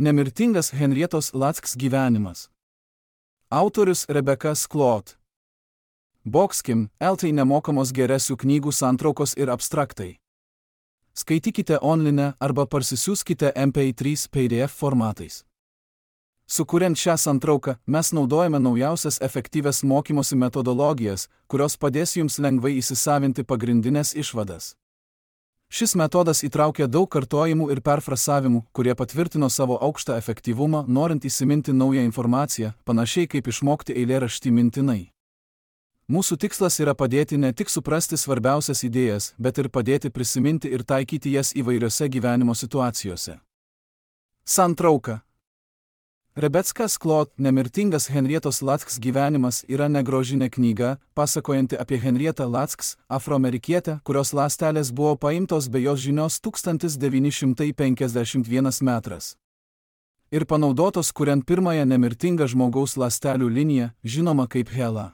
Nemirtingas Henrietos Lack's gyvenimas. Autorius Rebecca Skloot. Boxkim, LT nemokamos geresių knygų santraukos ir abstraktai. Skaitykite online arba parsisiųskite MP3 PDF formatais. Sukuriant šią santrauką, mes naudojame naujausias efektyvias mokymosi metodologijas, kurios padės jums lengvai įsisavinti pagrindinės išvadas. Šis metodas įtraukia daug kartojimų ir perfrasavimų, kurie patvirtino savo aukštą efektyvumą, norint įsiminti naują informaciją, panašiai kaip išmokti eilėraštį mintinai. Mūsų tikslas yra padėti ne tik suprasti svarbiausias idėjas, bet ir padėti prisiminti ir taikyti jas įvairiose gyvenimo situacijose. Santrauka. Rebecca Skloot Nemirtingas Henrietos Lack's gyvenimas yra negrožinė knyga, pasakojanti apie Henrietą Lack's, afroamerikietę, kurios ląstelės buvo paimtos be jos žinios 1951 metras. Ir panaudotos kuriant pirmąją nemirtingą žmogaus ląstelių liniją, žinoma kaip HeLa.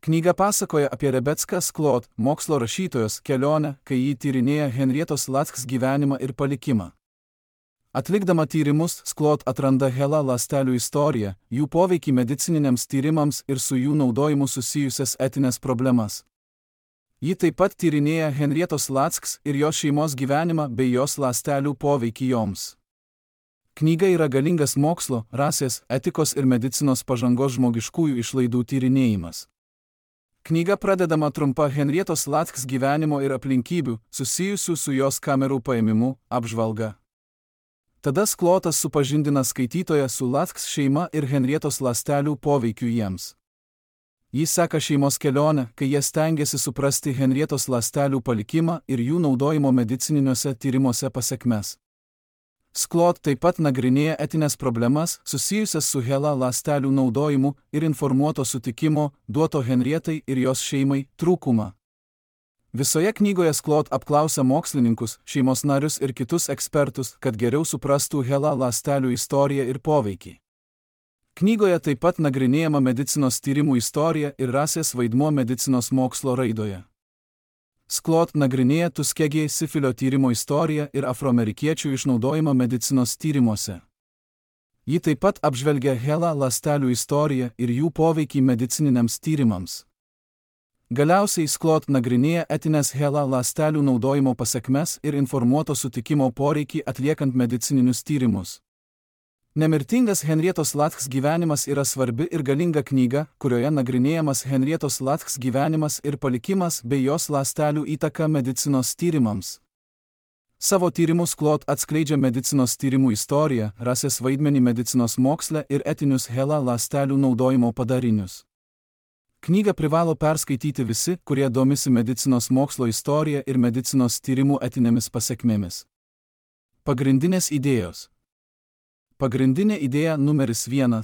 Knyga pasakoja apie Rebecca Skloot, mokslo rašytojos, kelionę, kai ji tyrinėja Henrietos Lack's gyvenimą ir palikimą. Atlikdama tyrimus, Skloot atranda HeLa ląstelių istoriją, jų poveikį medicininiams tyrimams ir su jų naudojimu susijusias etinės problemas. Ji taip pat tyrinėja Henrietos Lack's ir jos šeimos gyvenimą bei jos ląstelių poveikį joms. Knyga yra galingas mokslo, rasės, etikos ir medicinos pažangos žmogiškųjų išlaidų tyrinėjimas. Knyga pradedama trumpa Henrietos Lack's gyvenimo ir aplinkybių, susijusių su jos kamerų paėmimu, apžvalga. Tada Sklotas supažindina skaitytoją su Lack's šeima ir Henrietos ląstelių poveikiu jiems. Jis seka šeimos kelionę, kai jie stengiasi suprasti Henrietos ląstelių palikimą ir jų naudojimo medicininiuose tyrimuose pasekmes. Skloot taip pat nagrinėja etinės problemas susijusias su HeLa ląstelių naudojimu ir informuoto sutikimo, duoto Henrietai ir jos šeimai, trūkumą. Visoje knygoje Skloot apklausia mokslininkus, šeimos narius ir kitus ekspertus, kad geriau suprastų HeLa ląstelių istoriją ir poveikį. Knygoje taip pat nagrinėjama medicinos tyrimų istorija ir rasės vaidmuo medicinos mokslo raidoje. Skloot nagrinėja Tuskegee sifilio tyrimo istoriją ir afroamerikiečių išnaudojimą medicinos tyrimuose. Ji taip pat apžvelgia HeLa ląstelių istoriją ir jų poveikį medicininiams tyrimams. Galiausiai Skloot nagrinėja etinės HeLa ląstelių naudojimo pasekmes ir informuoto sutikimo poreikį atliekant medicininius tyrimus. Nemirtingas Henrietos Lack's gyvenimas yra svarbi ir galinga knyga, kurioje nagrinėjamas Henrietos Lack's gyvenimas ir palikimas bei jos ląstelių įtaka medicinos tyrimams. Savo tyrimus Skloot atskleidžia medicinos tyrimų istoriją, rasės vaidmenį medicinos moksle ir etinius HeLa ląstelių naudojimo padarinius. Knygą privalo perskaityti visi, kurie domisi medicinos mokslo istorija ir medicinos tyrimų etinėmis pasekmėmis. Pagrindinės idėjos. Pagrindinė idėja numeris 1.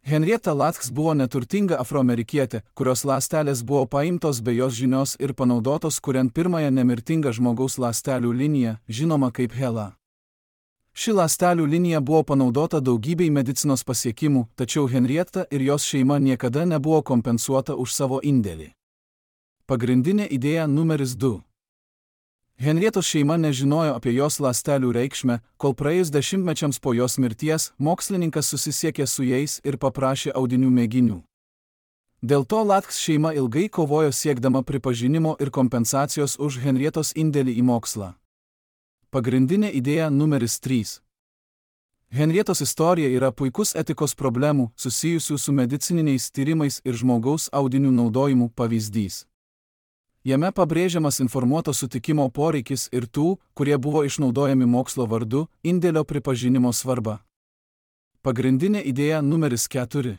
Henrietta Lack's buvo neturtinga afroamerikietė, kurios ląstelės buvo paimtos be jos žinios ir panaudotos kuriant pirmąją nemirtingą žmogaus ląstelių liniją, žinoma kaip HeLa. Ši ląstelių linija buvo panaudota daugybei medicinos pasiekimų, tačiau Henrietta ir jos šeima niekada nebuvo kompensuota už savo indėlį. Pagrindinė idėja numeris 2. Henrietos šeima nežinojo apie jos ląstelių reikšmę, kol praėjus dešimtmečiams po jos mirties, mokslininkas susisiekė su jais ir paprašė audinių mėginių. Dėl to Lack's šeima ilgai kovojo siekdama pripažinimo ir kompensacijos už Henrietos indėlį į mokslą. Pagrindinė idėja numeris 3. Henrietos istorija yra puikus etikos problemų, susijusių su medicininiais tyrimais ir žmogaus audinių naudojimu pavyzdys. Jame pabrėžiamas informuoto sutikimo poreikis ir tų, kurie buvo išnaudojami mokslo vardu, indėlio pripažinimo svarba. Pagrindinė idėja numeris 4.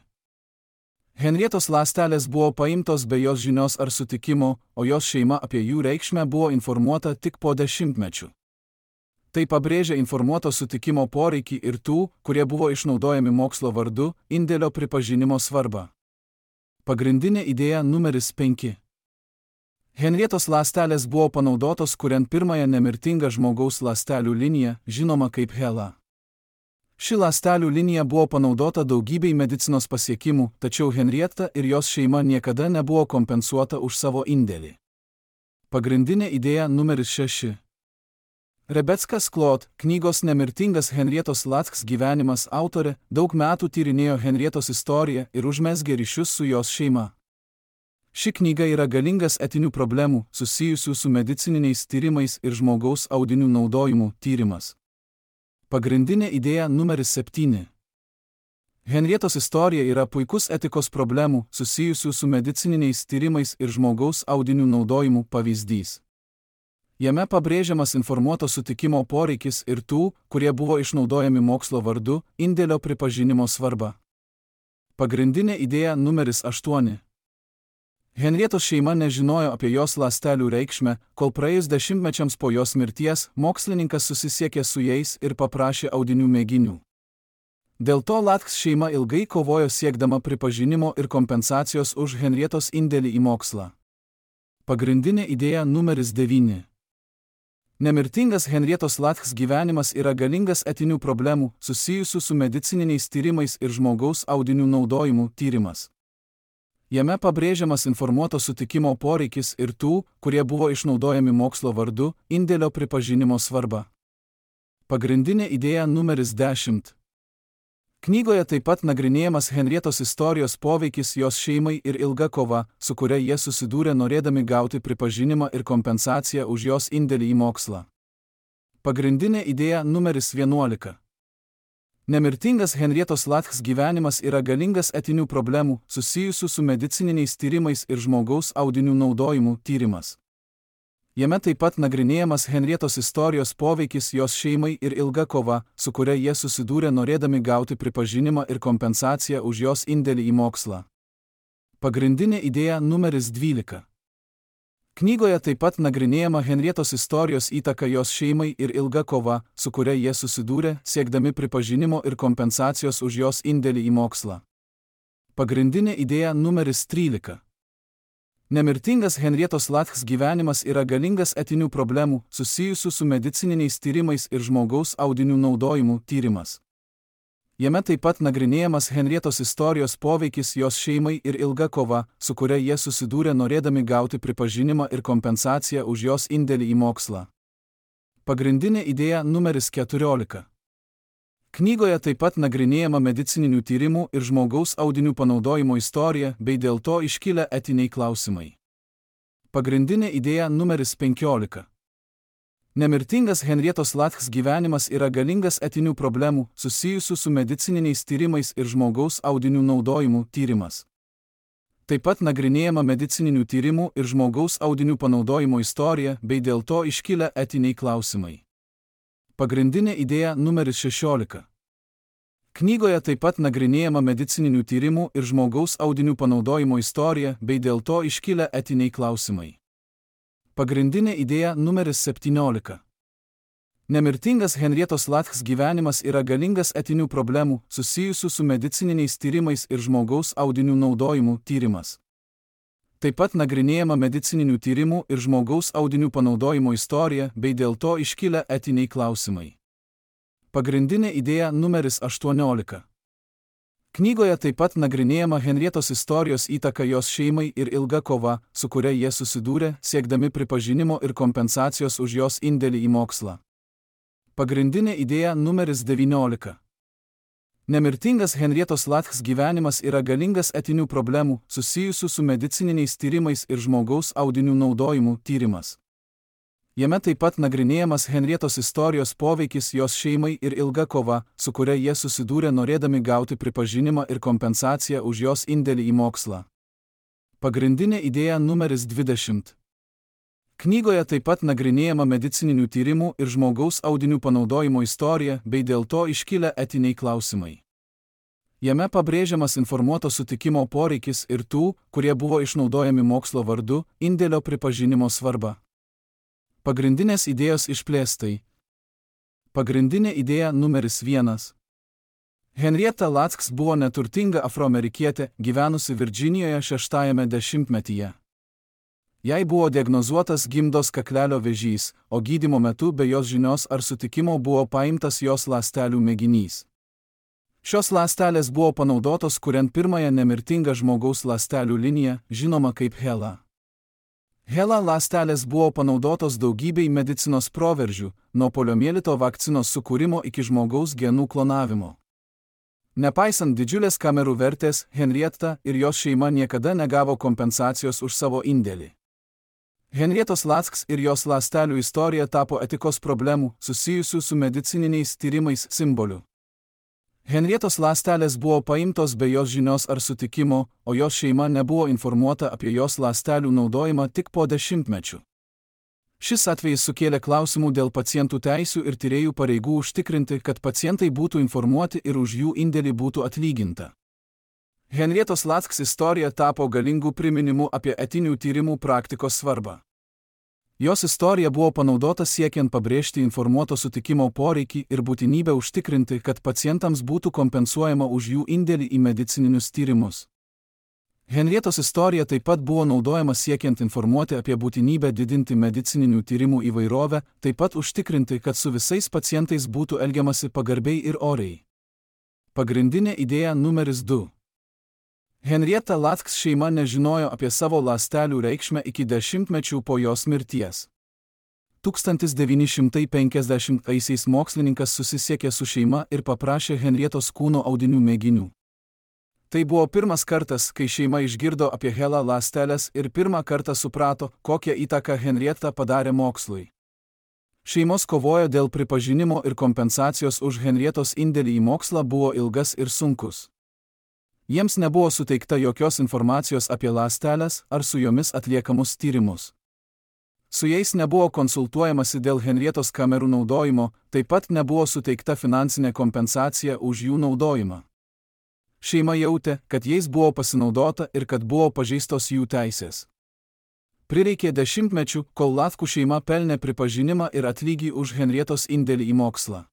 Henrietos ląstelės buvo paimtos be jos žinios ar sutikimo, o jos šeima apie jų reikšmę buvo informuota tik po dešimtmečių. Tai pabrėžia informuoto sutikimo poreikį ir tų, kurie buvo išnaudojami mokslo vardu, indėlio pripažinimo svarbą. Pagrindinė idėja numeris 5. Henrietos ląstelės buvo panaudotos kuriant pirmąją nemirtingą žmogaus ląstelių liniją, žinoma kaip HeLa. Ši ląstelių linija buvo panaudota daugybei medicinos pasiekimų, tačiau Henrietta ir jos šeima niekada nebuvo kompensuota už savo indėlį. Pagrindinė idėja numeris 6. Rebecca Sklot, knygos Nemirtingas Henrietos Latks gyvenimas autorė, daug metų tyrinėjo Henrietos istoriją ir užmezgė ryšius su jos šeima. Ši knyga yra galingas etinių problemų, susijusių su medicininiais tyrimais ir žmogaus audinių naudojimu tyrimas. Pagrindinė idėja numeris 7. Henrietos istorija yra puikus etikos problemų, susijusių su medicininiais tyrimais ir žmogaus audinių naudojimu pavyzdys. Jame pabrėžiamas informuoto sutikimo poreikis ir tų, kurie buvo išnaudojami mokslo vardu, indėlio pripažinimo svarba. Pagrindinė idėja numeris 8. Henrietos šeima nežinojo apie jos ląstelių reikšmę, kol praėjus dešimtmečiams po jos mirties mokslininkas susisiekė su jais ir paprašė audinių mėginių. Dėl to Latks šeima ilgai kovojo siekdama pripažinimo ir kompensacijos už Henrietos indėlį į mokslą. Pagrindinė idėja numeris 9. Nemirtingas Henrietos Latks gyvenimas yra galingas etinių problemų, susijusių su medicininiais tyrimais ir žmogaus audinių naudojimu tyrimas. Jame pabrėžiamas informuoto sutikimo poreikis ir tų, kurie buvo išnaudojami mokslo vardu, indėlio pripažinimo svarba. Pagrindinė idėja numeris 10. Knygoje taip pat nagrinėjamas Henrietos istorijos poveikis jos šeimai ir ilga kova, su kuria jie susidūrė norėdami gauti pripažinimą ir kompensaciją už jos indėlį į mokslą. Pagrindinė idėja numeris 11. Nemirtingas Henrietos Latks gyvenimas yra galingas etinių problemų, susijusių su medicininiais tyrimais ir žmogaus audinių naudojimu tyrimas. Jame taip pat nagrinėjamas Henrietos istorijos poveikis jos šeimai ir ilga kova, su kuria jie susidūrė norėdami gauti pripažinimą ir kompensaciją už jos indėlį į mokslą. Pagrindinė idėja numeris 12. Knygoje taip pat nagrinėjama Henrietos istorijos įtaka jos šeimai ir ilga kova, su kuria jie susidūrė, siekdami pripažinimo ir kompensacijos už jos indėlį į mokslą. Pagrindinė idėja numeris 13. Nemirtingas Henrietos Latks gyvenimas yra galingas etinių problemų, susijusių su medicininiais tyrimais ir žmogaus audinių naudojimu tyrimas. Jame taip pat nagrinėjamas Henrietos istorijos poveikis jos šeimai ir ilga kova, su kuria jie susidūrė norėdami gauti pripažinimą ir kompensaciją už jos indėlį į mokslą. Pagrindinė idėja numeris 14. Knygoje taip pat nagrinėjama medicininių tyrimų ir žmogaus audinių panaudojimo istorija bei dėl to iškilę etiniai klausimai. Pagrindinė idėja numeris 15. Nemirtingas Henrietos Latks gyvenimas yra galingas etinių problemų, susijusių su medicininiais tyrimais ir žmogaus audinių naudojimu tyrimas. Taip pat nagrinėjama medicininių tyrimų ir žmogaus audinių panaudojimo istorija bei dėl to iškilę etiniai klausimai. Pagrindinė idėja numeris 16. Knygoje taip pat nagrinėjama medicininių tyrimų ir žmogaus audinių panaudojimo istorija bei dėl to iškilę etiniai klausimai. Pagrindinė idėja numeris 17. Nemirtingas Henrietos Latks gyvenimas yra galingas etinių problemų, susijusių su medicininiais tyrimais ir žmogaus audinių naudojimu tyrimas. Taip pat nagrinėjama medicininių tyrimų ir žmogaus audinių panaudojimo istorija bei dėl to iškilę etiniai klausimai. Pagrindinė idėja numeris 18. Knygoje taip pat nagrinėjama Henrietos istorijos įtaka jos šeimai ir ilga kova, su kuria jie susidūrė, siekdami pripažinimo ir kompensacijos už jos indėlį į mokslą. Pagrindinė idėja numeris 19. Nemirtingas Henrietos Latks gyvenimas yra galingas etinių problemų, susijusių su medicininiais tyrimais ir žmogaus audinių naudojimu tyrimas. Jame taip pat nagrinėjamas Henrietos istorijos poveikis jos šeimai ir ilga kova, su kuria jie susidūrė norėdami gauti pripažinimą ir kompensaciją už jos indėlį į mokslą. Pagrindinė idėja numeris 20. Knygoje taip pat nagrinėjama medicininių tyrimų ir žmogaus audinių panaudojimo istorija bei dėl to iškilę etiniai klausimai. Jame pabrėžiamas informuoto sutikimo poreikis ir tų, kurie buvo išnaudojami mokslo vardu, indėlio pripažinimo svarba. Pagrindinės idėjos išplėstai. Pagrindinė idėja numeris 1. Henrietta Latks buvo neturtinga afroamerikietė, gyvenusi Virdžinijoje 6-ajame dešimtmetyje. Jai buvo diagnozuotas gimdos kaklelio vėžys, o gydymo metu be jos žinios ar sutikimo buvo paimtas jos ląstelių mėginys. Šios ląstelės buvo panaudotos kuriant pirmąją nemirtingą žmogaus ląstelių liniją, žinoma kaip HeLa. HeLa ląstelės buvo panaudotos daugybei medicinos proveržių, nuo poliomielito vakcinos sukūrimo iki žmogaus genų klonavimo. Nepaisant didžiulės kamerų vertės, Henrietta ir jos šeima niekada negavo kompensacijos už savo indėlį. Henrietos Lacks ir jos ląstelių istorija tapo etikos problemų, susijusių su medicininiais tyrimais simboliu. Henrietos ląstelės buvo paimtos be jos žinios ar sutikimo, o jos šeima nebuvo informuota apie jos ląstelių naudojimą tik po dešimtmečių. Šis atvejis sukėlė klausimų dėl pacientų teisių ir tyrėjų pareigų užtikrinti, kad pacientai būtų informuoti ir už jų indėlį būtų atlyginta. Henrietos Lacks istorija tapo galingų priminimų apie etinių tyrimų praktikos svarbą. Jos istorija buvo panaudota siekiant pabrėžti informuoto sutikimo poreikį ir būtinybę užtikrinti, kad pacientams būtų kompensuojama už jų indėlį į medicininius tyrimus. Henrietos istorija taip pat buvo naudojama siekiant informuoti apie būtinybę didinti medicininių tyrimų įvairovę, taip pat užtikrinti, kad su visais pacientais būtų elgiamasi pagarbiai ir oriai. Pagrindinė idėja numeris 2. Henrietta Lacks šeima nežinojo apie savo ląstelių reikšmę iki dešimtmečių po jos mirties. 1950-aisiais mokslininkas susisiekė su šeima ir paprašė Henrietos kūno audinių mėginių. Tai buvo pirmas kartas, kai šeima išgirdo apie HeLa ląsteles ir pirmą kartą suprato, kokią įtaką Henrietta padarė mokslui. Šeimos kovojo dėl pripažinimo ir kompensacijos už Henrietos indėlį į mokslą buvo ilgas ir sunkus. Jiems nebuvo suteikta jokios informacijos apie ląsteles ar su jomis atliekamus tyrimus. Su jais nebuvo konsultuojamasi dėl Henrietos kamerų naudojimo, taip pat nebuvo suteikta finansinė kompensacija už jų naudojimą. Šeima jautė, kad jais buvo pasinaudota ir kad buvo pažeistos jų teisės. Prireikė dešimtmečių, kol Lackų šeima pelnė pripažinimą ir atlygį už Henrietos indėlį į mokslą.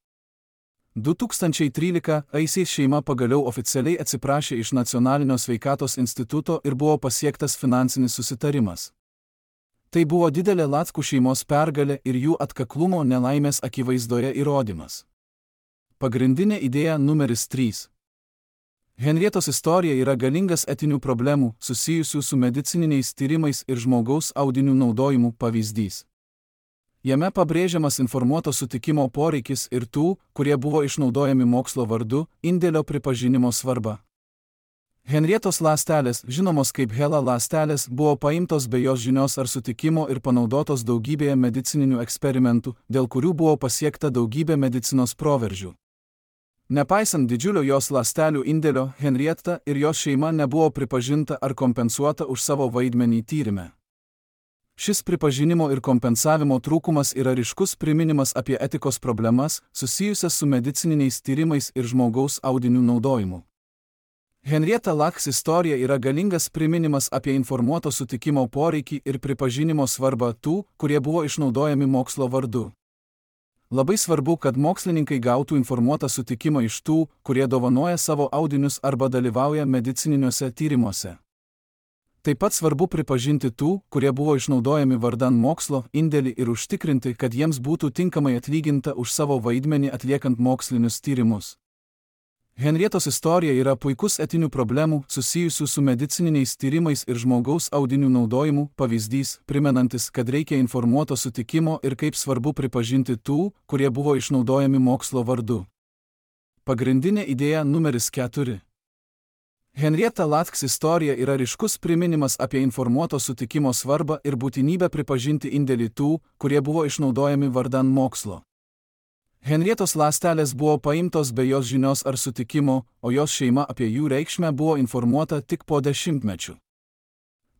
2013-aisiais šeima pagaliau oficialiai atsiprašė iš Nacionalinio sveikatos instituto ir buvo pasiektas finansinis susitarimas. Tai buvo didelė Lackų šeimos pergalė ir jų atkaklumo nelaimės akivaizdoje įrodymas. Pagrindinė idėja numeris 3. Henrietos istorija yra galingas etinių problemų, susijusių su medicininiais tyrimais ir žmogaus audinių naudojimu pavyzdys. Jame pabrėžiamas informuoto sutikimo poreikis ir tų, kurie buvo išnaudojami mokslo vardu, indėlio pripažinimo svarba. Henrietos ląstelės, žinomos kaip HeLa ląstelės, buvo paimtos be jos žinios ar sutikimo ir panaudotos daugybėje medicininių eksperimentų, dėl kurių buvo pasiekta daugybė medicinos proveržių. Nepaisant didžiulio jos ląstelių indėlio, Henrietta ir jos šeima nebuvo pripažinta ar kompensuota už savo vaidmenį tyrime. Šis pripažinimo ir kompensavimo trūkumas yra ryškus priminimas apie etikos problemas, susijusias su medicininiais tyrimais ir žmogaus audinių naudojimu. Henrietta Lacks istorija yra galingas priminimas apie informuoto sutikimo poreikį ir pripažinimo svarbą tų, kurie buvo išnaudojami mokslo vardu. Labai svarbu, kad mokslininkai gautų informuotą sutikimą iš tų, kurie dovanoja savo audinius arba dalyvauja medicininiuose tyrimuose. Taip pat svarbu pripažinti tų, kurie buvo išnaudojami vardan mokslo, indėlį ir užtikrinti, kad jiems būtų tinkamai atlyginta už savo vaidmenį atliekant mokslinius tyrimus. Henrietos istorija yra puikus etinių problemų, susijusių su medicininiais tyrimais ir žmogaus audinių naudojimu pavyzdys, primenantis, kad reikia informuoto sutikimo ir kaip svarbu pripažinti tų, kurie buvo išnaudojami mokslo vardu. Pagrindinė idėja numeris 4. Henrietta Lacks istorija yra ryškus priminimas apie informuoto sutikimo svarbą ir būtinybę pripažinti indėlį tų, kurie buvo išnaudojami vardan mokslo. Henrietos ląstelės buvo paimtos be jos žinios ar sutikimo, o jos šeima apie jų reikšmę buvo informuota tik po dešimtmečių.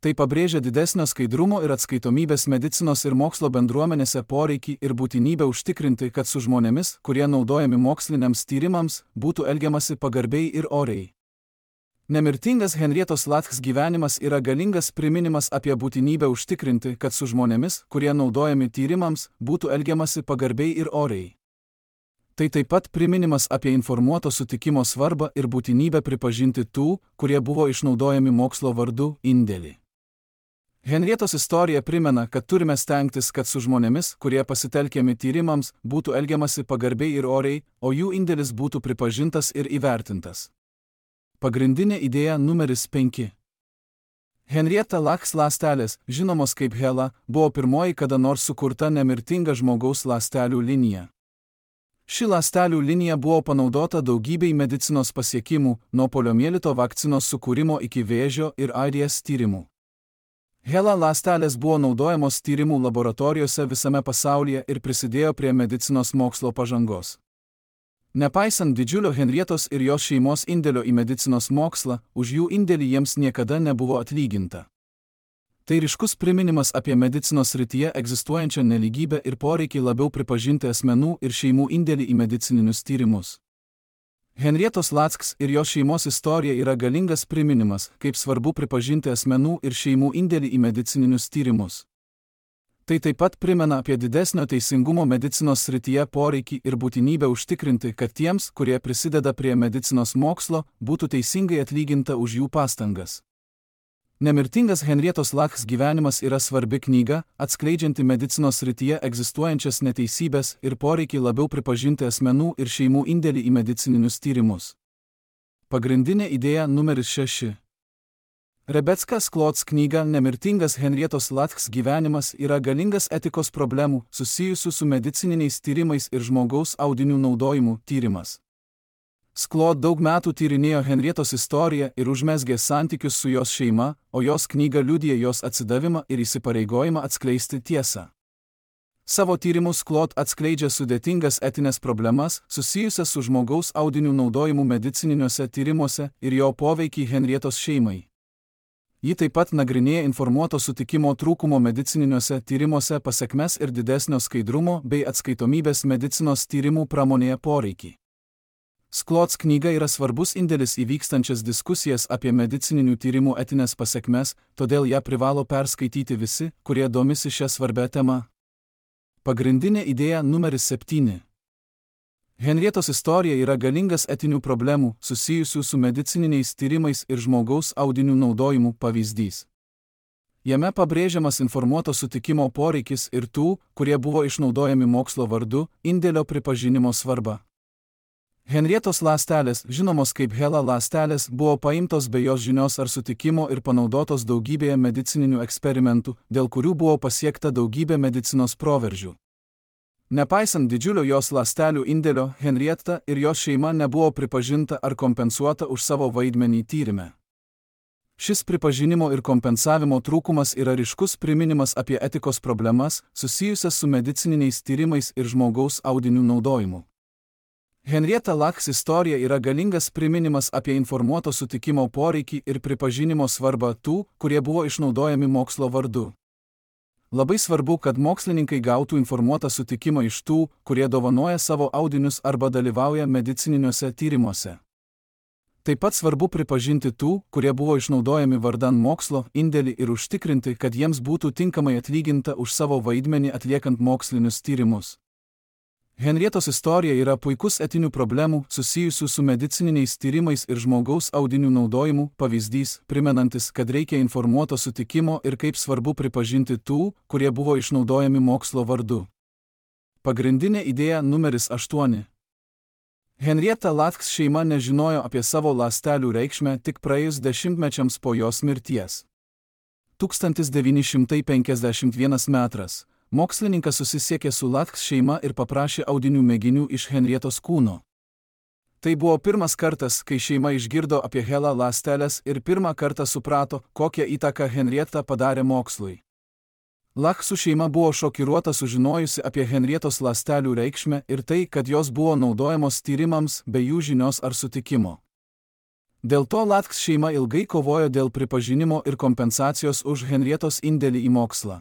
Tai pabrėžia didesnio skaidrumo ir atskaitomybės medicinos ir mokslo bendruomenėse poreikį ir būtinybę užtikrinti, kad su žmonėmis, kurie naudojami moksliniams tyrimams, būtų elgiamasi pagarbiai ir oriai. Nemirtingas Henrietos Lacks gyvenimas yra galingas priminimas apie būtinybę užtikrinti, kad su žmonėmis, kurie naudojami tyrimams, būtų elgiamasi pagarbiai ir oriai. Tai taip pat priminimas apie informuoto sutikimo svarbą ir būtinybę pripažinti tų, kurie buvo išnaudojami mokslo vardu, indėlį. Henrietos istorija primena, kad turime stengtis, kad su žmonėmis, kurie pasitelkiami tyrimams, būtų elgiamasi pagarbiai ir oriai, o jų indėlis būtų pripažintas ir įvertintas. Pagrindinė idėja numeris 5. Henrietta Lacks ląstelės, žinomos kaip HeLa, buvo pirmoji kada nors sukurta nemirtinga žmogaus ląstelių linija. Ši ląstelių linija buvo panaudota daugybei medicinos pasiekimų, nuo poliomielito vakcinos sukūrimo iki vėžio ir AIDS tyrimų. HeLa ląstelės buvo naudojamos tyrimų laboratorijose visame pasaulyje ir prisidėjo prie medicinos mokslo pažangos. Nepaisant didžiulio Henrietos ir jos šeimos indėlio į medicinos mokslą, už jų indėlį jiems niekada nebuvo atlyginta. Tai ryškus priminimas apie medicinos srityje egzistuojančią nelygybę ir poreikį labiau pripažinti asmenų ir šeimų indėlį į medicininius tyrimus. Henrietos Lacks ir jos šeimos istorija yra galingas priminimas, kaip svarbu pripažinti asmenų ir šeimų indėlį į medicininius tyrimus. Tai taip pat primena apie didesnio teisingumo medicinos srityje poreikį ir būtinybę užtikrinti, kad tiems, kurie prisideda prie medicinos mokslo, būtų teisingai atlyginta už jų pastangas. Nemirtingas Henrietos Lacks gyvenimas yra svarbi knyga, atskleidžianti medicinos srityje egzistuojančias neteisybės ir poreikį labiau pripažinti asmenų ir šeimų indėlį į medicininius tyrimus. Pagrindinė idėja numeris 6. Rebecca Sklots knyga Nemirtingas Henrietos Lacks gyvenimas yra galingas etikos problemų susijusių su medicininiais tyrimais ir žmogaus audinių naudojimu tyrimas. Sklot daug metų tyrinėjo Henrietos istoriją ir užmezgė santykius su jos šeima, o jos knyga liudija jos atsidavimą ir įsipareigojimą atskleisti tiesą. Savo tyrimus Sklot atskleidžia sudėtingas etinės problemas susijusias su žmogaus audinių naudojimu medicininiuose tyrimuose ir jo poveikį Henrietos šeimai. Ji taip pat nagrinėja informuoto sutikimo trūkumo medicininiuose tyrimuose pasekmes ir didesnio skaidrumo bei atskaitomybės medicinos tyrimų pramonėje poreikį. Sklots knyga yra svarbus indėlis į vykstančias diskusijas apie medicininių tyrimų etinės pasekmes, todėl ją privalo perskaityti visi, kurie domisi šią svarbę temą. Pagrindinė idėja numeris 7. Henrietos istorija yra galingas etinių problemų susijusių su medicininiais tyrimais ir žmogaus audinių naudojimu pavyzdys. Jame pabrėžiamas informuoto sutikimo poreikis ir tų, kurie buvo išnaudojami mokslo vardu, indėlio pripažinimo svarba. Henrietos ląstelės, žinomos kaip HeLa ląstelės, buvo paimtos be jos žinios ar sutikimo ir panaudotos daugybėje medicininių eksperimentų, dėl kurių buvo pasiekta daugybė medicinos proveržių. Nepaisant didžiulio jos ląstelių indėlio, Henrietta ir jos šeima nebuvo pripažinta ar kompensuota už savo vaidmenį tyrime. Šis pripažinimo ir kompensavimo trūkumas yra ryškus priminimas apie etikos problemas susijusias su medicininiais tyrimais ir žmogaus audinių naudojimu. Henrietta Lacks istorija yra galingas priminimas apie informuoto sutikimo poreikį ir pripažinimo svarbą tų, kurie buvo išnaudojami mokslo vardu. Labai svarbu, kad mokslininkai gautų informuotą sutikimą iš tų, kurie dovanoja savo audinius arba dalyvauja medicininiuose tyrimuose. Taip pat svarbu pripažinti tų, kurie buvo išnaudojami vardan mokslo, indėlį ir užtikrinti, kad jiems būtų tinkamai atlyginta už savo vaidmenį atliekant mokslinius tyrimus. Henrietos istorija yra puikus etinių problemų susijusių su medicininiais tyrimais ir žmogaus audinių naudojimu pavyzdys, primenantis, kad reikia informuoto sutikimo ir kaip svarbu pripažinti tų, kurie buvo išnaudojami mokslo vardu. Pagrindinė idėja numeris 8. Henrietta Lacks šeima nežinojo apie savo ląstelių reikšmę tik praėjus dešimtmečiams po jos mirties. 1951 metras. Mokslininkas susisiekė su Lacks šeima ir paprašė audinių mėginių iš Henrietos kūno. Tai buvo pirmas kartas, kai šeima išgirdo apie HeLa ląsteles ir pirmą kartą suprato, kokią įtaką Henrietta padarė mokslui. Lacksų šeima buvo šokiruota sužinojusi apie Henrietos ląstelių reikšmę ir tai, kad jos buvo naudojamos tyrimams be jų žinios ar sutikimo. Dėl to Lacks šeima ilgai kovojo dėl pripažinimo ir kompensacijos už Henrietos indėlį į mokslą.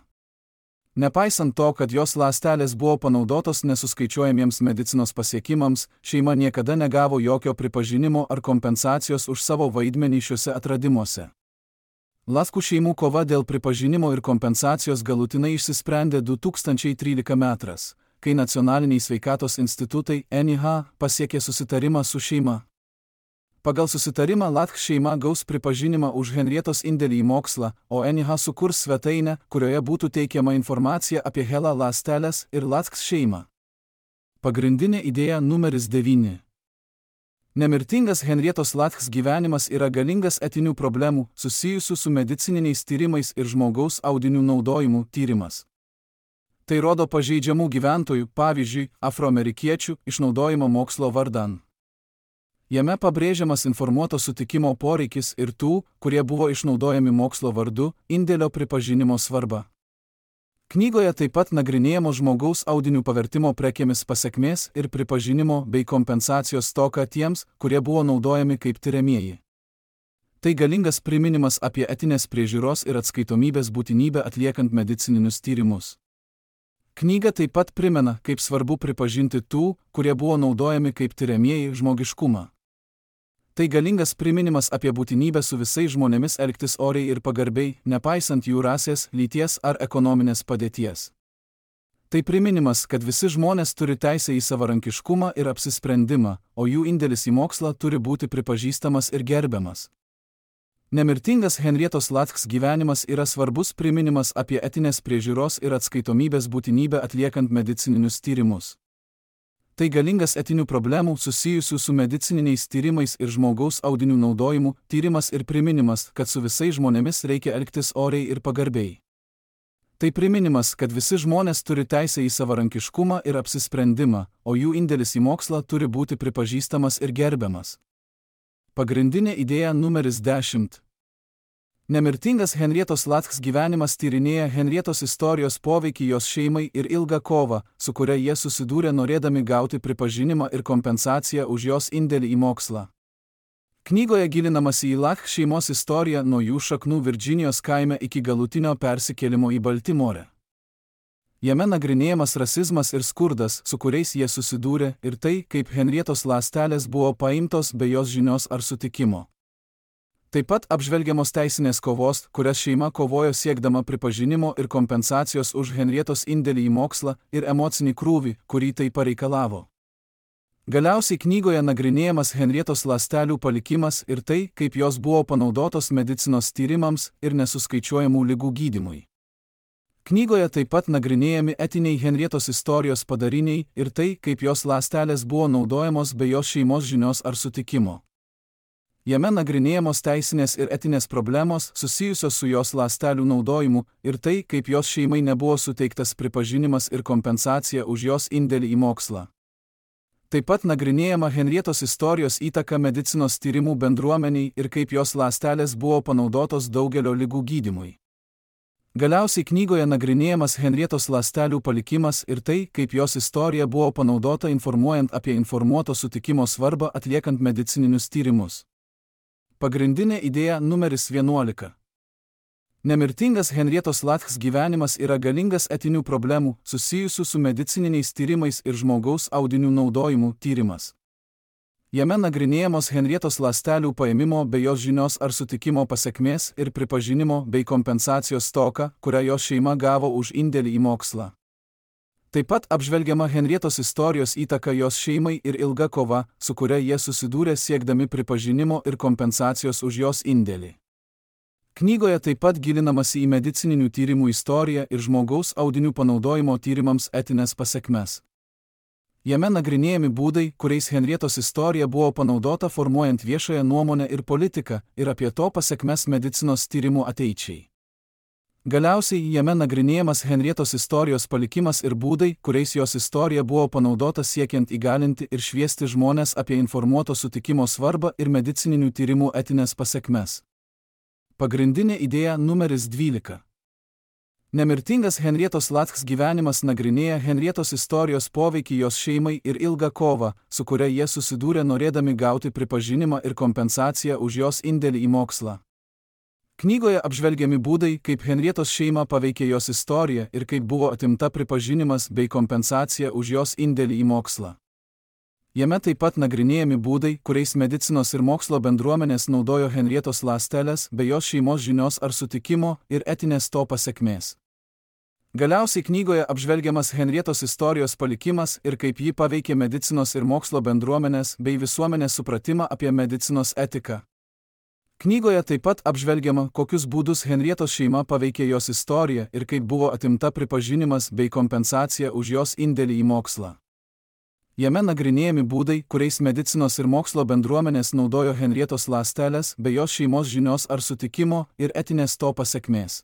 Nepaisant to, kad jos ląstelės buvo panaudotos nesuskaičiuojamiems medicinos pasiekimams, šeima niekada negavo jokio pripažinimo ar kompensacijos už savo vaidmenį šiuose atradimuose. Lackų šeimų kova dėl pripažinimo ir kompensacijos galutinai išsisprendė 2013 metras, kai nacionaliniai sveikatos institutai NIH pasiekė susitarimą su šeima. Pagal susitarimą Lacks šeima gaus pripažinimą už Henrietos indėlį į mokslą, o NIH sukurs svetainę, kurioje būtų teikiama informacija apie HeLa ląsteles ir Lacks šeimą. Pagrindinė idėja numeris 9. Nemirtingas Henrietos Latks gyvenimas yra galingas etinių problemų susijusių su medicininiais tyrimais ir žmogaus audinių naudojimu tyrimas. Tai rodo pažeidžiamų gyventojų, pavyzdžiui, afroamerikiečių, išnaudojimo mokslo vardan. Jame pabrėžiamas informuoto sutikimo poreikis ir tų, kurie buvo išnaudojami mokslo vardu, indėlio pripažinimo svarba. Knygoje taip pat nagrinėjamos žmogaus audinių pavertimo prekėmis pasekmės ir pripažinimo bei kompensacijos stoka tiems, kurie buvo naudojami kaip tiriamieji. Tai galingas priminimas apie etinės priežiūros ir atskaitomybės būtinybę atliekant medicininius tyrimus. Knyga taip pat primena, kaip svarbu pripažinti tų, kurie buvo naudojami kaip tiriamieji, žmogiškumą. Tai galingas priminimas apie būtinybę su visais žmonėmis elgtis oriai ir pagarbiai, nepaisant jų rasės, lyties ar ekonominės padėties. Tai priminimas, kad visi žmonės turi teisę į savarankiškumą ir apsisprendimą, o jų indėlis į mokslą turi būti pripažįstamas ir gerbiamas. Nemirtingas Henrietos Latks gyvenimas yra svarbus priminimas apie etinės priežiūros ir atskaitomybės būtinybę atliekant medicininius tyrimus. Tai galingas etinių problemų susijusių su medicininiais tyrimais ir žmogaus audinių naudojimu tyrimas ir priminimas, kad su visais žmonėmis reikia elgtis oriai ir pagarbiai. Tai priminimas, kad visi žmonės turi teisę į savarankiškumą ir apsisprendimą, o jų indėlis į mokslą turi būti pripažįstamas ir gerbiamas. Pagrindinė idėja numeris 10. Nemirtingas Henrietos Latks gyvenimas tyrinėja Henrietos istorijos poveikį jos šeimai ir ilgą kovą, su kuria jie susidūrė norėdami gauti pripažinimą ir kompensaciją už jos indėlį į mokslą. Knygoje gilinamasi į Latks šeimos istoriją nuo jų šaknų Virdžinijos kaime iki galutinio persikėlimo į Baltimorę. Jame nagrinėjamas rasizmas ir skurdas, su kuriais jie susidūrė, ir tai, kaip Henrietos ląstelės buvo paimtos be jos žinios ar sutikimo. Taip pat apžvelgiamos teisinės kovos, kurias šeima kovojo siekdama pripažinimo ir kompensacijos už Henrietos indėlį į mokslą ir emocinį krūvį, kurį tai pareikalavo. Galiausiai knygoje nagrinėjamas Henrietos ląstelių palikimas ir tai, kaip jos buvo panaudotos medicinos tyrimams ir nesuskaičiuojamų ligų gydymui. Knygoje taip pat nagrinėjami etiniai Henrietos istorijos padariniai ir tai, kaip jos ląstelės buvo naudojamos be jos šeimos žinios ar sutikimo. Jame nagrinėjamos teisinės ir etinės problemos susijusios su jos ląstelių naudojimu ir tai, kaip jos šeimai nebuvo suteiktas pripažinimas ir kompensacija už jos indėlį į mokslą. Taip pat nagrinėjama Henrietos istorijos įtaka medicinos tyrimų bendruomeniai ir kaip jos ląstelės buvo panaudotos daugelio ligų gydymui. Galiausiai knygoje nagrinėjamas Henrietos ląstelių palikimas ir tai, kaip jos istorija buvo panaudota informuojant apie informuoto sutikimo svarbą atliekant medicininius tyrimus. Pagrindinė idėja numeris 11. Nemirtingas Henrietos Latks gyvenimas yra galingas etinių problemų susijusių su medicininiais tyrimais ir žmogaus audinių naudojimu tyrimas. Jame nagrinėjamos Henrietos ląstelių paėmimo be jos žinios ar sutikimo pasekmės ir pripažinimo bei kompensacijos stoka, kurią jos šeima gavo už indėlį į mokslą. Taip pat apžvelgiama Henrietos istorijos įtaka jos šeimai ir ilga kova, su kuria jie susidūrė siekdami pripažinimo ir kompensacijos už jos indėlį. Knygoje taip pat gilinamasi į medicininių tyrimų istoriją ir žmogaus audinių panaudojimo tyrimams etinės pasekmes. Jame nagrinėjami būdai, kuriais Henrietos istorija buvo panaudota formuojant viešąją nuomonę ir politiką ir apie to pasekmes medicinos tyrimų ateičiai. Galiausiai jame nagrinėjamas Henrietos istorijos palikimas ir būdai, kuriais jos istorija buvo panaudota siekiant įgalinti ir šviesti žmones apie informuoto sutikimo svarbą ir medicininių tyrimų etinės pasekmes. Pagrindinė idėja numeris 12. Nemirtingas Henrietos Latks gyvenimas nagrinėja Henrietos istorijos poveikį jos šeimai ir ilgą kovą, su kuria jie susidūrė norėdami gauti pripažinimą ir kompensaciją už jos indėlį į mokslą. Knygoje apžvelgiami būdai, kaip Henrietos šeimą paveikė jos istorija ir kaip buvo atimta pripažinimas bei kompensacija už jos indėlį į mokslą. Jame taip pat nagrinėjami būdai, kuriais medicinos ir mokslo bendruomenės naudojo Henrietos ląsteles be jos šeimos žinios ar sutikimo ir etinės to pasekmės. Galiausiai knygoje apžvelgiamas Henrietos istorijos palikimas ir kaip ji paveikė medicinos ir mokslo bendruomenės bei visuomenės supratimą apie medicinos etiką. Knygoje taip pat apžvelgiama, kokius būdus Henrietos šeima paveikė jos istoriją ir kaip buvo atimta pripažinimas bei kompensacija už jos indėlį į mokslą. Jame nagrinėjami būdai, kuriais medicinos ir mokslo bendruomenės naudojo Henrietos ląsteles be jos šeimos žinios ar sutikimo ir etinės to pasekmės.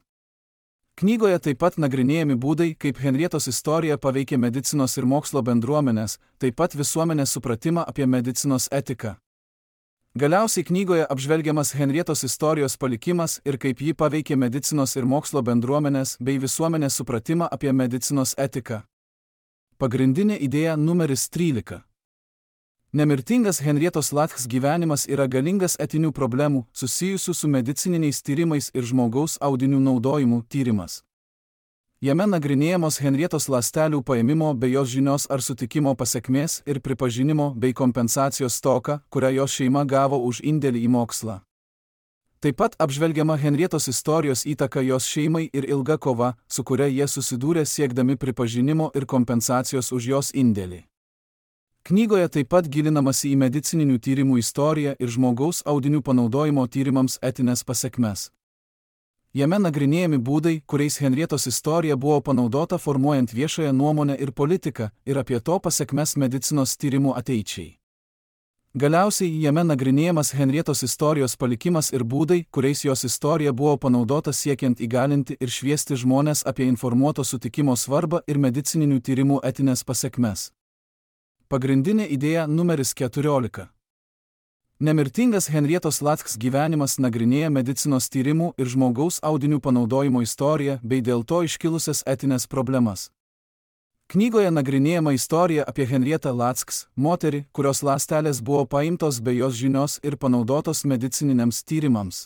Knygoje taip pat nagrinėjami būdai, kaip Henrietos istorija paveikė medicinos ir mokslo bendruomenės, taip pat visuomenės supratimą apie medicinos etiką. Galiausiai knygoje apžvelgiamas Henrietos istorijos palikimas ir kaip ji paveikė medicinos ir mokslo bendruomenės bei visuomenės supratimą apie medicinos etiką. Pagrindinė idėja numeris 13. Nemirtingas Henrietos Lacks gyvenimas yra galingas etinių problemų, susijusių su medicininiais tyrimais ir žmogaus audinių naudojimu tyrimas. Jame nagrinėjamos Henrietos ląstelių paėmimo be jos žinios ar sutikimo pasekmės ir pripažinimo bei kompensacijos stoka, kurią jos šeima gavo už indėlį į mokslą. Taip pat apžvelgiama Henrietos istorijos įtaka jos šeimai ir ilga kova, su kuria jie susidūrė siekdami pripažinimo ir kompensacijos už jos indėlį. Knygoje taip pat gilinamasi į medicininių tyrimų istoriją ir žmogaus audinių panaudojimo tyrimams etinės pasekmes. Jame nagrinėjami būdai, kuriais Henrietos istorija buvo panaudota formuojant viešąją nuomonę ir politiką ir apie to pasekmes medicinos tyrimų ateičiai. Galiausiai jame nagrinėjamas Henrietos istorijos palikimas ir būdai, kuriais jos istorija buvo panaudota siekiant įgalinti ir šviesti žmones apie informuoto sutikimo svarbą ir medicininių tyrimų etinės pasekmes. Pagrindinė idėja numeris 14. Nemirtingas Henrietos Lacks gyvenimas nagrinėja medicinos tyrimų ir žmogaus audinių panaudojimo istoriją bei dėl to iškilusias etinės problemas. Knygoje nagrinėjama istorija apie Henrietą Lacks, moterį, kurios ląstelės buvo paimtos be jos žinios ir panaudotos medicininiams tyrimams.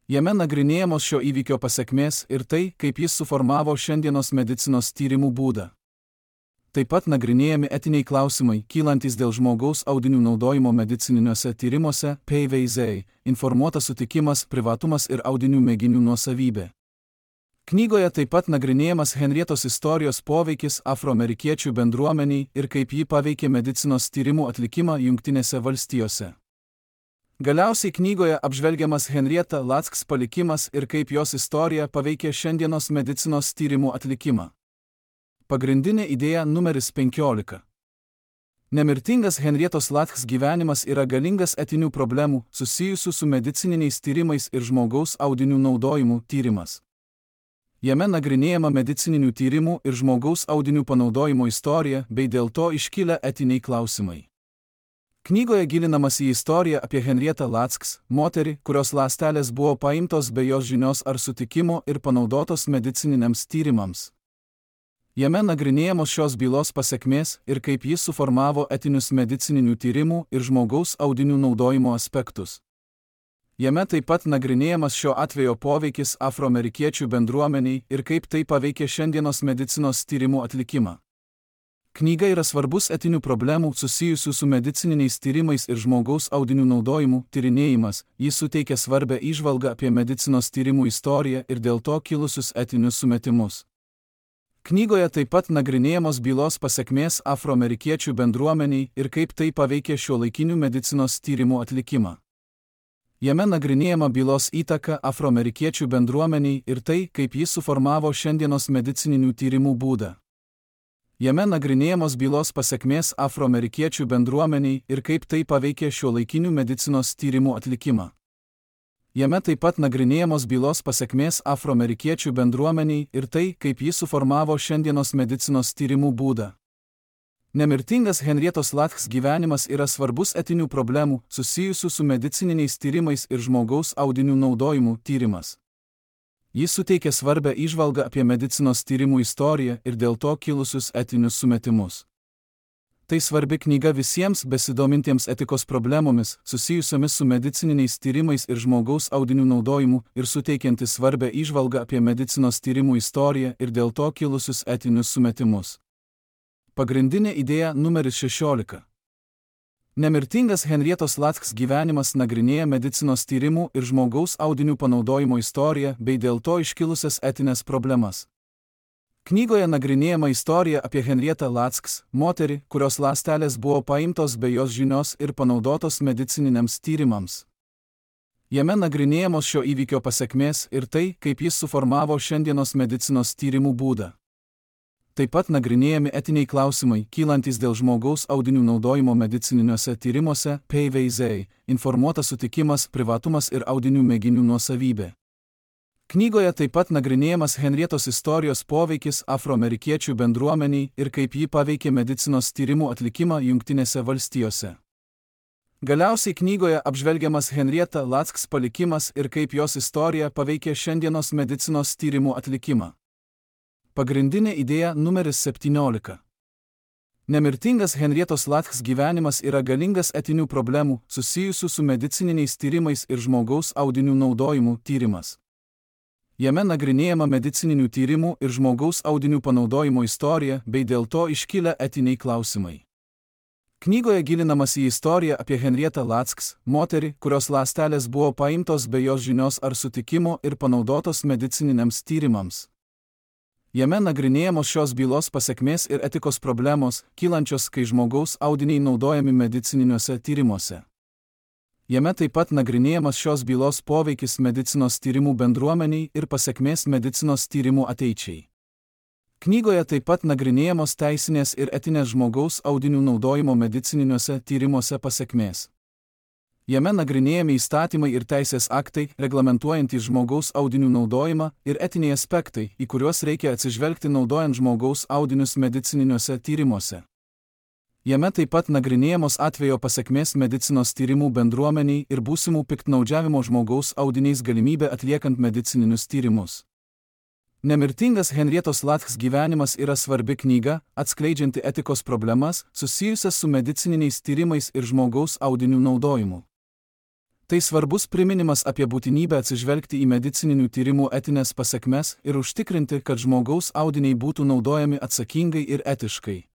Jame nagrinėjamos šio įvykio pasekmės ir tai, kaip jis suformavo šiandienos medicinos tyrimų būdą. Taip pat nagrinėjami etiniai klausimai, kylantis dėl žmogaus audinių naudojimo medicininiuose tyrimuose, PVZ, informuotas sutikimas, privatumas ir audinių mėginių nuosavybė. Knygoje taip pat nagrinėjamas Henrietos istorijos poveikis afroamerikiečių bendruomeniai ir kaip ji paveikė medicinos tyrimų atlikimą Jungtinėse valstijose. Galiausiai knygoje apžvelgiamas Henrieta Lacks palikimas ir kaip jos istorija paveikė šiandienos medicinos tyrimų atlikimą. Pagrindinė idėja numeris 15. Nemirtingas Henrietos Lacks gyvenimas yra galingas etinių problemų, susijusių su medicininiais tyrimais ir žmogaus audinių naudojimu tyrimas. Jame nagrinėjama medicininių tyrimų ir žmogaus audinių panaudojimo istorija bei dėl to iškilę etiniai klausimai. Knygoje gilinamas į istoriją apie Henrietą Lacks, moterį, kurios ląstelės buvo paimtos be jos žinios ar sutikimo ir panaudotos medicininiams tyrimams. Jame nagrinėjamos šios bylos pasekmės ir kaip jis suformavo etinius medicininių tyrimų ir žmogaus audinių naudojimo aspektus. Jame taip pat nagrinėjamas šio atvejo poveikis afroamerikiečių bendruomeniai ir kaip tai paveikė šiandienos medicinos tyrimų atlikimą. Knyga yra svarbus etinių problemų susijusių su medicininiais tyrimais ir žmogaus audinių naudojimu tyrinėjimas, jis suteikia svarbę įžvalgą apie medicinos tyrimų istoriją ir dėl to kilusius etinius sumetimus. Knygoje taip pat nagrinėjamos bylos pasekmės afroamerikiečių bendruomeniai ir kaip tai paveikė šiuolaikinių medicinos tyrimų atlikimą. Jame nagrinėjama bylos įtaka afroamerikiečių bendruomeniai ir tai, kaip jis suformavo šiandienos medicininių tyrimų būdą. Jame nagrinėjamos bylos pasekmės afroamerikiečių bendruomeniai ir kaip tai paveikė šiuolaikinių medicinos tyrimų atlikimą. Jame taip pat nagrinėjamos bylos pasekmės afroamerikiečių bendruomeniai ir tai, kaip jis suformavo šiandienos medicinos tyrimų būdą. Nemirtingas Henrietos Lacks gyvenimas yra svarbus etinių problemų, susijusių su medicininiais tyrimais ir žmogaus audinių naudojimu tyrimas. Jis suteikia svarbę įžvalgą apie medicinos tyrimų istoriją ir dėl to kilusius etinius sumetimus. Tai svarbi knyga visiems besidomintiems etikos problemomis, susijusiomis su medicininiais tyrimais ir žmogaus audinių naudojimu ir suteikianti svarbę įžvalgą apie medicinos tyrimų istoriją ir dėl to kilusius etinius sumetimus. Pagrindinė idėja numeris 16. Nemirtingas Henrietos Lacks gyvenimas nagrinėja medicinos tyrimų ir žmogaus audinių panaudojimo istoriją bei dėl to iškilusias etinės problemas. Knygoje nagrinėjama istorija apie Henrietą Lacks, moterį, kurios ląstelės buvo paimtos be jos žinios ir panaudotos medicininiams tyrimams. Jame nagrinėjamos šio įvykio pasekmės ir tai, kaip jis suformavo šiandienos medicinos tyrimų būdą. Taip pat nagrinėjami etiniai klausimai, kylantis dėl žmogaus audinių naudojimo medicininiuose tyrimuose, PVZ, informuotas sutikimas, privatumas ir audinių mėginių nuosavybė. Knygoje taip pat nagrinėjamas Henrietos istorijos poveikis afroamerikiečių bendruomeniai ir kaip ji paveikė medicinos tyrimų atlikimą Jungtinėse valstijose. Galiausiai knygoje apžvelgiamas Henrietta Lacks palikimas ir kaip jos istorija paveikė šiandienos medicinos tyrimų atlikimą. Pagrindinė idėja numeris 17. Nemirtingas Henrietos Lacks gyvenimas yra galingas etinių problemų susijusių su medicininiais tyrimais ir žmogaus audinių naudojimu tyrimas. Jame nagrinėjama medicininių tyrimų ir žmogaus audinių panaudojimo istorija bei dėl to iškilę etiniai klausimai. Knygoje gilinamas į istoriją apie Henrietą Lacks, moterį, kurios ląstelės buvo paimtos be jos žinios ar sutikimo ir panaudotos medicininiams tyrimams. Jame nagrinėjamos šios bylos pasekmės ir etikos problemos, kylančios, kai žmogaus audiniai naudojami medicininiuose tyrimuose. Jame taip pat nagrinėjamas šios bylos poveikis medicinos tyrimų bendruomeniai ir pasekmės medicinos tyrimų ateičiai. Knygoje taip pat nagrinėjamos teisinės ir etinės žmogaus audinių naudojimo medicininiuose tyrimuose pasekmės. Jame nagrinėjami įstatymai ir teisės aktai, reglamentuojantys žmogaus audinių naudojimą ir etiniai aspektai, į kuriuos reikia atsižvelgti naudojant žmogaus audinius medicininiuose tyrimuose. Jame taip pat nagrinėjamos atvejo pasekmės medicinos tyrimų bendruomeniai ir būsimų piktnaudžiavimo žmogaus audiniais galimybė atliekant medicininius tyrimus. Nemirtingas Henrietos Lacks gyvenimas yra svarbi knyga, atskleidžianti etikos problemas susijusias su medicininiais tyrimais ir žmogaus audinių naudojimu. Tai svarbus priminimas apie būtinybę atsižvelgti į medicininių tyrimų etinės pasekmes ir užtikrinti, kad žmogaus audiniai būtų naudojami atsakingai ir etiškai.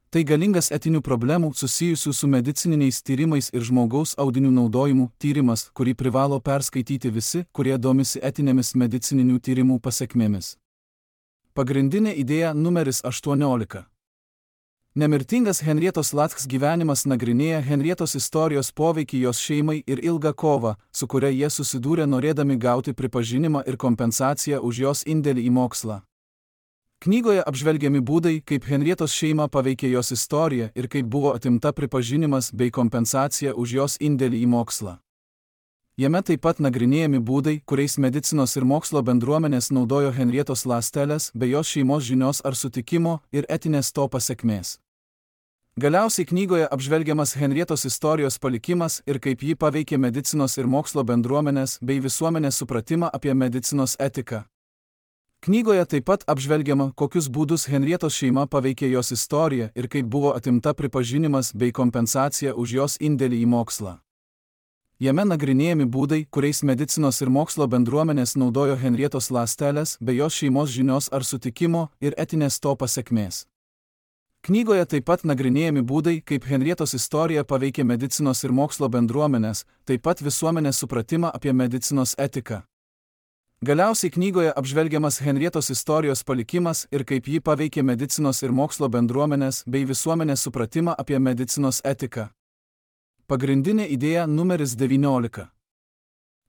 Tai galingas etinių problemų susijusių su medicininiais tyrimais ir žmogaus audinių naudojimu tyrimas, kurį privalo perskaityti visi, kurie domisi etinėmis medicininių tyrimų pasekmėmis. Pagrindinė idėja numeris 18. Nemirtingas Henrietos Lacks gyvenimas nagrinėja Henrietos istorijos poveikį jos šeimai ir ilgą kovą, su kuria jie susidūrė norėdami gauti pripažinimą ir kompensaciją už jos indėlį į mokslą. Knygoje apžvelgiami būdai, kaip Henrietos šeimą paveikė jos istorija ir kaip buvo atimta pripažinimas bei kompensacija už jos indėlį į mokslą. Jame taip pat nagrinėjami būdai, kuriais medicinos ir mokslo bendruomenės naudojo Henrietos ląsteles be jos šeimos žinios ar sutikimo ir etinės to pasekmės. Galiausiai knygoje apžvelgiamas Henrietos istorijos palikimas ir kaip ji paveikė medicinos ir mokslo bendruomenės bei visuomenės supratimą apie medicinos etiką. Knygoje taip pat apžvelgiama, kokius būdus Henrietos šeima paveikė jos istoriją ir kaip buvo atimta pripažinimas bei kompensacija už jos indėlį į mokslą. Jame nagrinėjami būdai, kuriais medicinos ir mokslo bendruomenės naudojo Henrietos ląsteles be jos šeimos žinios ar sutikimo ir etinės to pasekmės. Knygoje taip pat nagrinėjami būdai, kaip Henrietos istorija paveikė medicinos ir mokslo bendruomenės, taip pat visuomenės supratimą apie medicinos etiką. Galiausiai knygoje apžvelgiamas Henrietos istorijos palikimas ir kaip ji paveikė medicinos ir mokslo bendruomenės bei visuomenės supratimą apie medicinos etiką. Pagrindinė idėja numeris 19.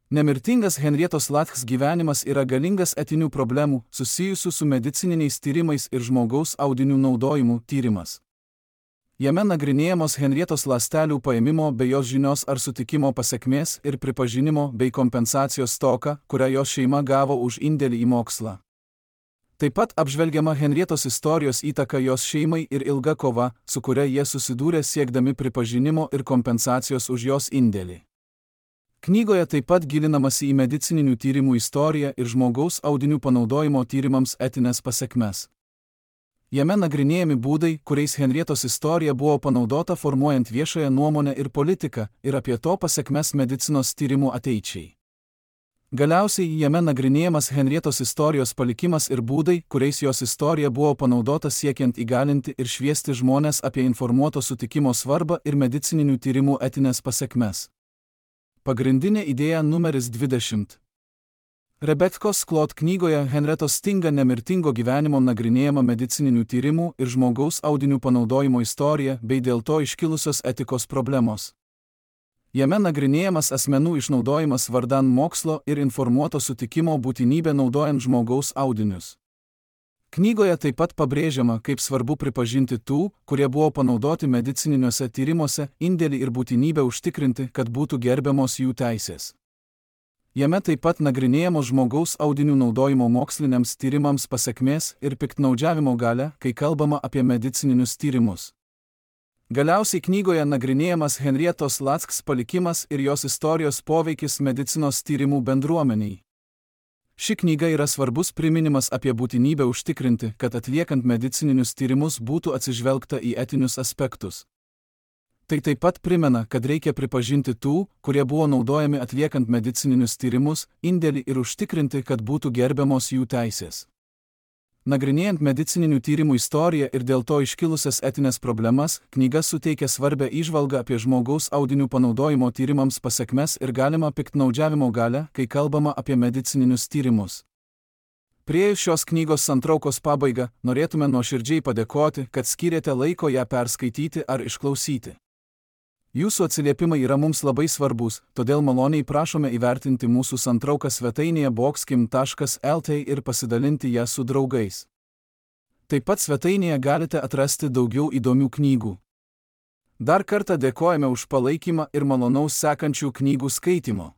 Nemirtingas Henrietos Lacks gyvenimas yra galingas etinių problemų susijusių su medicininiais tyrimais ir žmogaus audinių naudojimu tyrimas. Jame nagrinėjamos Henrietos ląstelių paėmimo be jos žinios ar sutikimo pasekmės ir pripažinimo bei kompensacijos stoka, kurią jos šeima gavo už indėlį į mokslą. Taip pat apžvelgiama Henrietos istorijos įtaka jos šeimai ir ilga kova, su kuria jie susidūrė siekdami pripažinimo ir kompensacijos už jos indėlį. Knygoje taip pat gilinamasi į medicininių tyrimų istoriją ir žmogaus audinių panaudojimo tyrimams etinės pasekmes. Jame nagrinėjami būdai, kuriais Henrietos istorija buvo panaudota formuojant viešąją nuomonę ir politiką ir apie to pasekmes medicinos tyrimų ateičiai. Galiausiai jame nagrinėjamas Henrietos istorijos palikimas ir būdai, kuriais jos istorija buvo panaudota siekiant įgalinti ir šviesti žmones apie informuoto sutikimo svarbą ir medicininių tyrimų etinės pasekmes. Pagrindinė idėja numeris 20. Rebekos Klot knygoje Henrietos Stinga nemirtingo gyvenimo nagrinėjama medicininių tyrimų ir žmogaus audinių panaudojimo istorija bei dėl to iškilusios etikos problemos. Jame nagrinėjamas asmenų išnaudojimas vardan mokslo ir informuoto sutikimo būtinybė naudojant žmogaus audinius. Knygoje taip pat pabrėžiama, kaip svarbu pripažinti tų, kurie buvo panaudoti medicininiuose tyrimuose, indėlį ir būtinybę užtikrinti, kad būtų gerbiamos jų teisės. Jame taip pat nagrinėjamos žmogaus audinių naudojimo moksliniams tyrimams pasekmės ir piktnaudžiavimo galia, kai kalbama apie medicininius tyrimus. Galiausiai knygoje nagrinėjamas Henrietos Lacks palikimas ir jos istorijos poveikis medicinos tyrimų bendruomeniai. Ši knyga yra svarbus priminimas apie būtinybę užtikrinti, kad atliekant medicininius tyrimus būtų atsižvelgta į etinius aspektus. Tai taip pat primena, kad reikia pripažinti tų, kurie buvo naudojami atliekant medicininius tyrimus, indėlį ir užtikrinti, kad būtų gerbiamos jų teisės. Nagrinėjant medicininių tyrimų istoriją ir dėl to iškilusias etinės problemas, knyga suteikia svarbę įžvalgą apie žmogaus audinių panaudojimo tyrimams pasekmes ir galimą piktnaudžiavimo galią, kai kalbama apie medicininius tyrimus. Priėjus šios knygos santraukos pabaigą, norėtume nuoširdžiai padėkoti, kad skyrėte laiko ją perskaityti ar išklausyti. Jūsų atsiliepimai yra mums labai svarbus, todėl maloniai prašome įvertinti mūsų santrauką svetainėje boxkim.lt ir pasidalinti ją su draugais. Taip pat svetainėje galite atrasti daugiau įdomių knygų. Dar kartą dėkojame už palaikymą ir malonaus sekančių knygų skaitimo.